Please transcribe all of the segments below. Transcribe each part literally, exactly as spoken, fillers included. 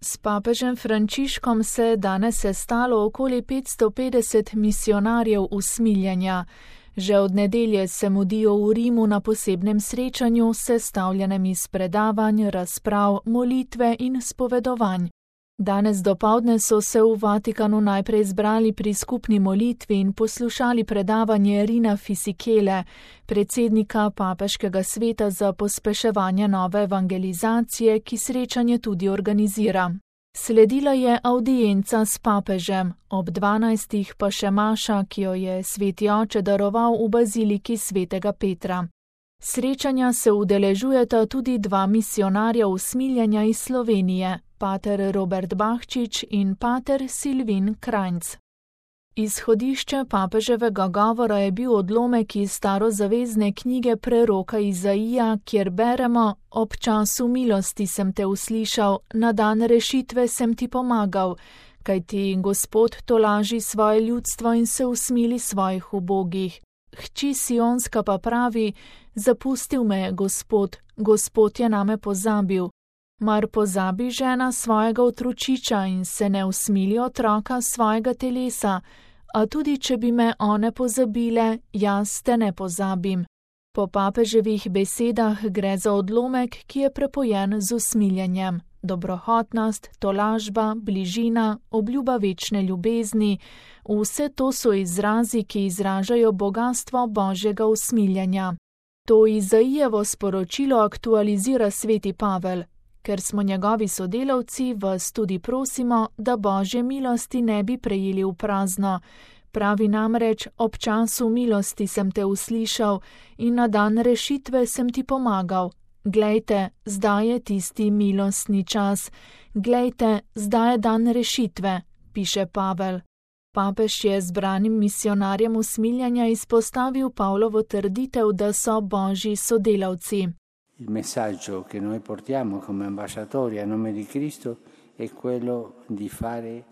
S papežem Frančiškom se je danes sestalo okoli petsto petdeset misionarjev usmiljenja. Že od nedelje se mudijo v Rimu na posebnem srečanju, sestavljenem iz predavanj, razprav, molitve in spovedovanj. Danes dopoldne so se v Vatikanu najprej zbrali pri skupni molitvi in poslušali predavanje Rina Fisikele, predsednika Papeškega sveta za pospeševanje nove evangelizacije, ki srečanje tudi organizira. Sledila je avdienca s papežem, ob dvanajstih pa še maša, ki jo je sveti oče daroval v baziliki svetega Petra. Srečanja se udeležujeta tudi dva misionarja usmiljenja iz Slovenije, pater Robert Bahčič in pater Silvin Krajnc. Izhodišče papeževega govora je bil odlomek iz starozavezne knjige preroka Izaija, kjer beremo: Ob času milosti sem te uslišal, na dan rešitve sem ti pomagal, kajti Gospod tolaži svoje ljudstvo in se usmili svojih ubogih. Hči Sionska pa pravi: Zapustil me je Gospod, Gospod je name pozabil. Mar pozabi žena svojega otročiča in se ne usmili otroka svojega telesa, a tudi če bi me one pozabile, jaz te ne pozabim. Po papeževih besedah gre za odlomek, ki je prepojen z usmiljenjem. Dobrohotnost, tolažba, bližina, obljuba večne ljubezni, vse to so izrazi, ki izražajo bogastvo Božjega usmiljenja. To Izaijevo sporočilo aktualizira sveti Pavel. Ker smo njegovi sodelavci, vas tudi prosimo, da Božje milosti ne bi prejeli v prazno. Pravi namreč: ob času milosti sem te uslišal in na dan rešitve sem ti pomagal. Glejte, zdaj je tisti milostni čas. Glejte, zdaj je dan rešitve, piše Pavel. Papež je zbranim misionarjem usmiljenja izpostavil Pavlovo trditev, da so Božji sodelavci. Il messaggio che noi portiamo come ambasciatori a nome di Cristo è quello di fare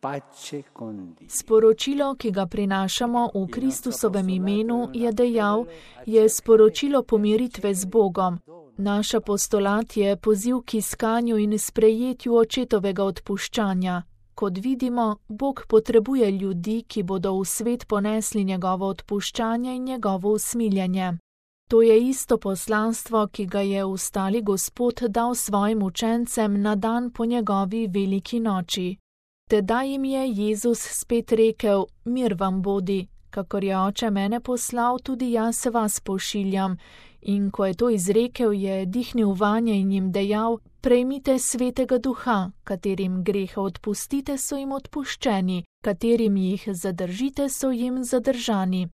pace con Dio. Sporočilo, ki ga prinašamo v Kristusovem imenu, je dejal, je sporočilo pomiritve z Bogom. Naš apostolat je poziv k iskanju in sprejetju očetovega odpuščanja. Kot vidimo, Bog potrebuje ljudi, ki bodo v svet ponesli njegovo odpuščanje in njegovo usmiljenje. To je isto poslanstvo, ki ga je ustali Gospod dal svojim učencem na dan po njegovi veliki noči. Tedaj jim je Jezus spet rekel: Mir vam bodi, kakor je Oče mene poslal, tudi jaz vas pošiljam. In ko je to izrekel, je dihnil vanje in jim dejal: Prejmite svetega duha, katerim grehe odpustite, so jim odpuščeni, katerim jih zadržite, so jim zadržani.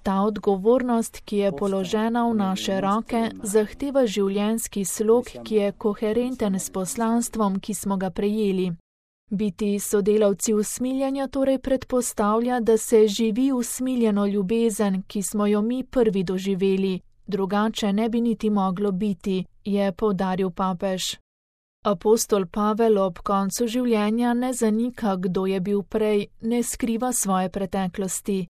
Ta odgovornost, ki je položena v naše roke, zahteva življenjski slog, ki je koherenten s poslanstvom, ki smo ga prejeli. Biti sodelavci usmiljenja torej predpostavlja, da se živi usmiljeno ljubezen, ki smo jo mi prvi doživeli, drugače ne bi niti moglo biti, je poudaril papež. Apostol Pavel ob koncu življenja ne zanika, kdo je bil prej, ne skriva svoje preteklosti.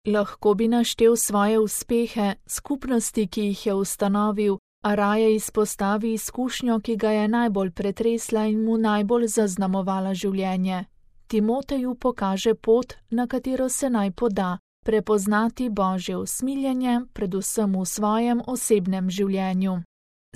Lahko bi naštel svoje uspehe, skupnosti, ki jih je ustanovil, a raje izpostavi izkušnjo, ki ga je najbolj pretresla in mu najbolj zaznamovala življenje. Timoteju pokaže pot, na katero se naj poda, prepoznati Božje usmiljenje, predvsem v svojem osebnem življenju.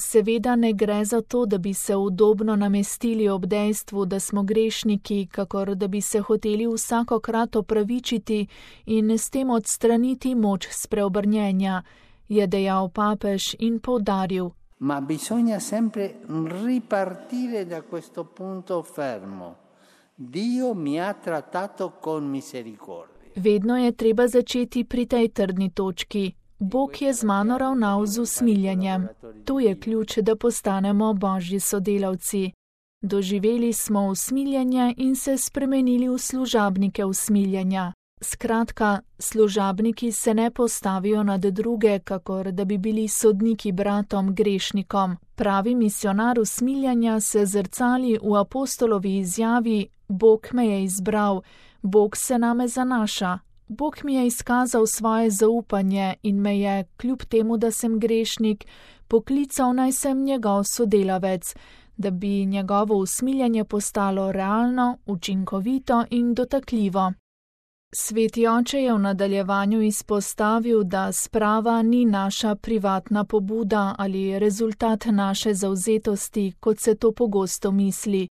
Seveda ne gre za to, da bi se udobno namestili ob dejstvu, da smo grešniki, kakor da bi se hoteli vsakokrat opravičiti in s tem odstraniti moč spreobrnjenja, je dejal papež in poudaril. Ma bisogna sempre ripartire da questo punto fermo. Dio mi ha trattato con misericordia. Vedno je treba začeti pri tej trdni točki. Bog je z mano ravnal z usmiljenjem. To je ključ, da postanemo Božji sodelavci. Doživeli smo usmiljenje in se spremenili v služabnike usmiljenja. Skratka, služabniki se ne postavijo nad druge, kakor da bi bili sodniki bratom grešnikom. Pravi misionar usmiljenja se zrcali v apostolovi izjavi: Bog me je izbral, Bog se name zanaša. Bog mi je izkazal svoje zaupanje in me je, kljub temu, da sem grešnik, poklical, naj sem njegov sodelavec, da bi njegovo usmiljenje postalo realno, učinkovito in dotakljivo. Sveti oče je v nadaljevanju izpostavil, da sprava ni naša privatna pobuda ali rezultat naše zavzetosti, kot se to pogosto misli.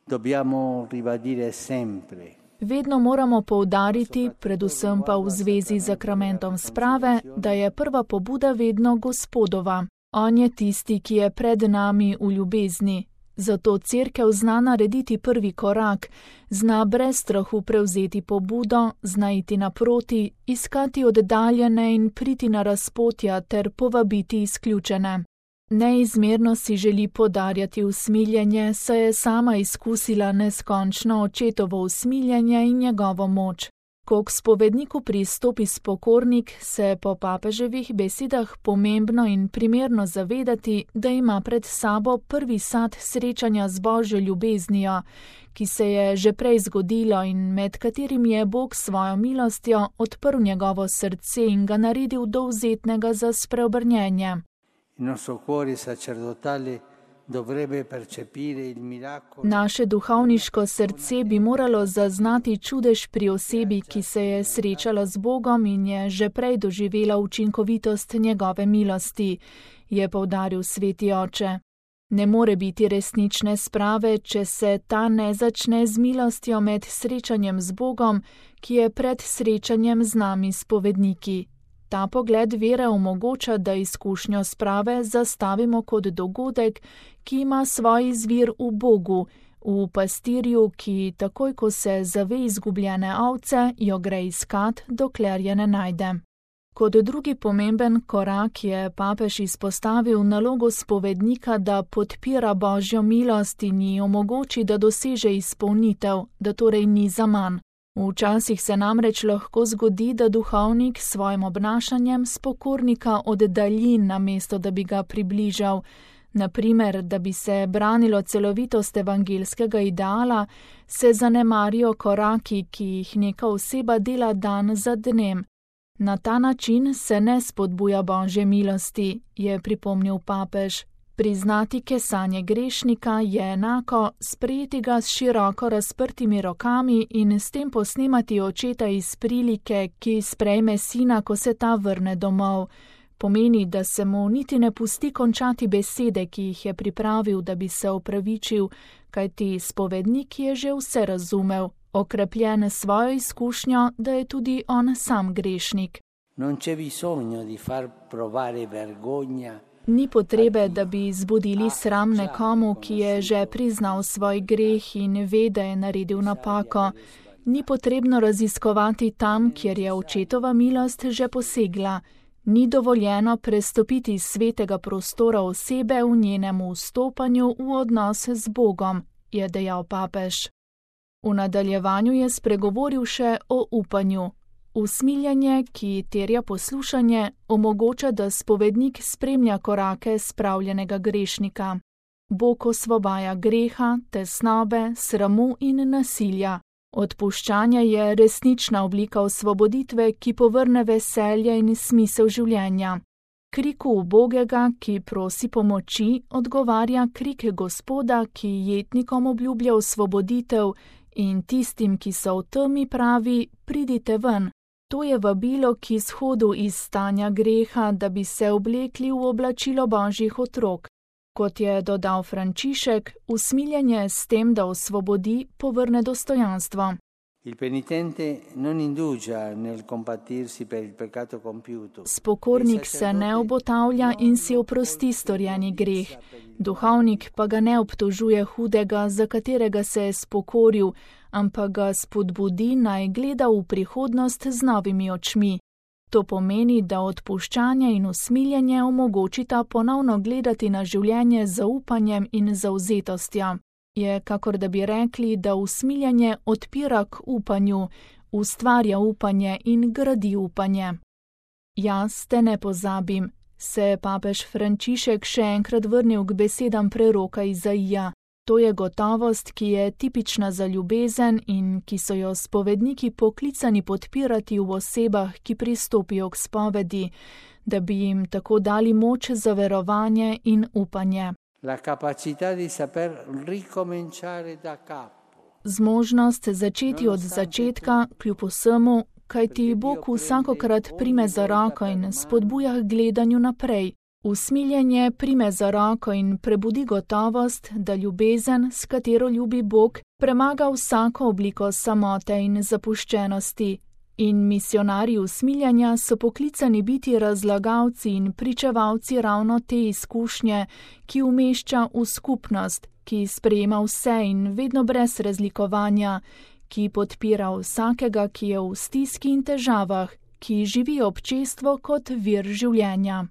Dobbiamo ribadire sempre. Vedno moramo poudariti, predvsem pa v zvezi z sakramentom sprave, da je prva pobuda vedno Gospodova. On je tisti, ki je pred nami v ljubezni. Zato cerkev zna narediti prvi korak, zna brez strahu prevzeti pobudo, zna iti naproti, iskati oddaljene in priti na razpotja ter povabiti izključene. Neizmerno si želi podarjati usmiljenje, saj je sama izkusila neskončno očetovo usmiljenje in njegovo moč. Ko k spovedniku pristopi spokornik, se po papeževih besedah pomembno in primerno zavedati, da ima pred sabo prvi sad srečanja z Božjo ljubeznijo, ki se je že prej zgodilo in med katerim je Bog svojo milostjo odprl njegovo srce in ga naredil dovzetnega za spreobrnjenje. Naše duhovniško srce bi moralo zaznati čudež pri osebi, ki se je srečala z Bogom in je že prej doživela učinkovitost njegove milosti, je poudaril sveti oče. Ne more biti resnične sprave, če se ta ne začne z milostjo med srečanjem z Bogom, ki je pred srečanjem z nami spovedniki. Ta pogled vere omogoča, da izkušnjo sprave zastavimo kot dogodek, ki ima svoj izvir v Bogu, v pastirju, ki takoj, ko se zave izgubljene ovce, jo gre iskat, dokler je ne najde. Kot drugi pomemben korak je papež izpostavil nalogo spovednika, da podpira Božjo milost in ji omogoči, da doseže izpolnitev, da torej ni zaman. Včasih se namreč lahko zgodi, da duhovnik s svojim obnašanjem spokornika oddalji, namesto da bi ga približal. Naprimer, da bi se branilo celovitost evangelskega ideala, se zanemarijo koraki, ki jih neka oseba dela dan za dnem. Na ta način se ne spodbuja Božje milosti, je pripomnil papež. Priznati kesanje grešnika je enako sprejeti ga s široko razprtimi rokami in s tem posnemati očeta iz prilike, ki sprejme sina, ko se ta vrne domov. Pomeni, da se mu niti ne pusti končati besede, ki jih je pripravil, da bi se opravičil, kajti spovednik je že vse razumel, okrepljen svojo izkušnjo, da je tudi on sam grešnik. Non c'è bisogno di far provare vergogna. Ni potrebe, da bi zbudili sram nekomu, ki je že priznal svoj greh in ve, da je naredil napako. Ni potrebno raziskovati tam, kjer je očetova milost že posegla. Ni dovoljeno prestopiti svetega prostora osebe v njenem vstopanju v odnos z Bogom, je dejal papež. V nadaljevanju je spregovoril še o upanju. Usmiljenje, ki terja poslušanje, omogoča, da spovednik spremlja korake spravljenega grešnika. Bog osvobaja greha, tesnobe, sramu in nasilja. Odpuščanje je resnična oblika osvoboditve, ki povrne veselje in smisel življenja. Kriku ubogega, ki prosi pomoči, odgovarja krik Gospoda, ki jetnikom obljublja osvoboditev in tistim, ki so v temi, pravi: pridite ven. To je vabilo k izhodu iz stanja greha, da bi se oblekli v oblačilo Božjih otrok. Kot je dodal Frančišek, usmiljenje s tem, da osvobodi, povrne dostojanstvo. Il penitente non indugia nel compatirsi per il peccato compiuto. Spokornik se ne obotavlja in si oprosti storjeni greh. Duhovnik pa ga ne obtožuje hudega, za katerega se je spokoril, ampak ga spodbudi, naj gleda v prihodnost z novimi očmi. To pomeni, da odpuščanje in usmiljenje omogočita ponovno gledati na življenje z zaupanjem in zavzetostjo. Je, kakor da bi rekli, da usmiljenje odpira k upanju, ustvarja upanje in gradi upanje. Jaz te ne pozabim, se je papež Frančišek še enkrat vrnil k besedam preroka Izaija. To je gotovost, ki je tipična za ljubezen in ki so jo spovedniki poklicani podpirati v osebah, ki pristopijo k spovedi, da bi jim tako dali moč za verovanje in upanje. La capacità di saper ricominciare da capo. Zmožnost začeti od začetka, kljub vsemu, kaj ti Bog vsakokrat prime za roko in spodbuja k gledanju naprej. Usmiljenje prime za roko in prebudi gotovost, da ljubezen, s katero ljubi Bog, premaga vsako obliko samote in zapuščenosti. In misionarji usmiljanja so poklicani biti razlagalci in pričevalci ravno te izkušnje, ki umešča v skupnost, ki sprejema vse in vedno brez razlikovanja, ki podpira vsakega, ki je v stiski in težavah, ki živi občestvo kot vir življenja.